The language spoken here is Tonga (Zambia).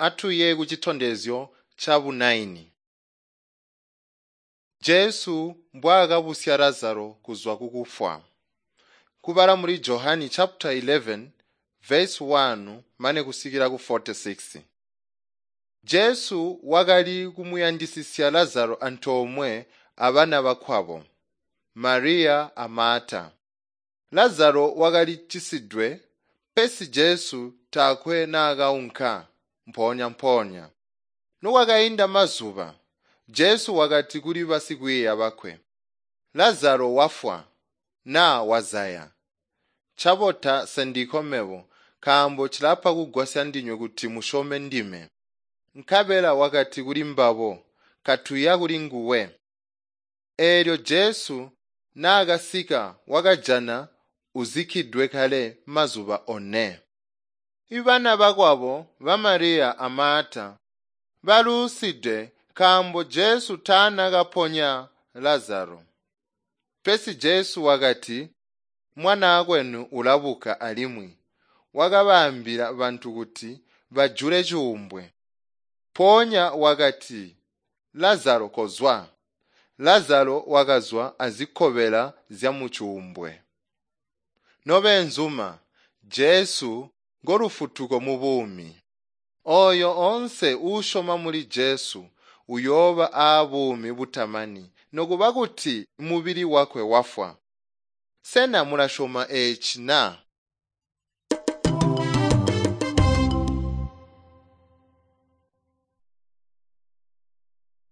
Atuye kucitondezyo cabu9. Jesu mbwaakabusya Lazaro kuzwa kukufwa. Kubala muli Johani chapter 11 verse 1 mane kusikila ku 46. Jesu wakali kumuyandisisya Lazaro antoomwe abana bakwabo, Mariya a Marta. Lazaro wakali cisidwe, pesi Jesu taakwe naakaunka mpoonya-mpoonya. Nokwakainda mazuba, Jesu wakati kuli basikwiiya bakwe, "Lazaro wafwa naa wazaya. Cabota sendiko mebo, nkaambo cilapa kugwasya ndinywe kuti musyome ndime." Nkabela wakati kuli mbabo, "Katuya kulinguwe." Eelyo Jesu naakasika wakajana uzikkidwe kale mazuba one. Ibana bakwabo ba Mariya a Marta baluuside nkaambo Jesu taanakaponya Lazaro. Pesi Jesu wakati, "Mwanaakwenu ulabuka alimwi." Wakabaambila bantu kuti bajule cuumbwe. Mpoonya wakati, "Lazaro kozwa." Lazaro wakazwa azikobela zyamucuumbwe. Nobeenzuma, Jesu ngolufutuko mubuumi. Ooyo oonse uusyoma muli Jesu uyooba aabuumi butamani nokuba kuti mubili wakwe wafwa. Sena mulasyoma eeci na?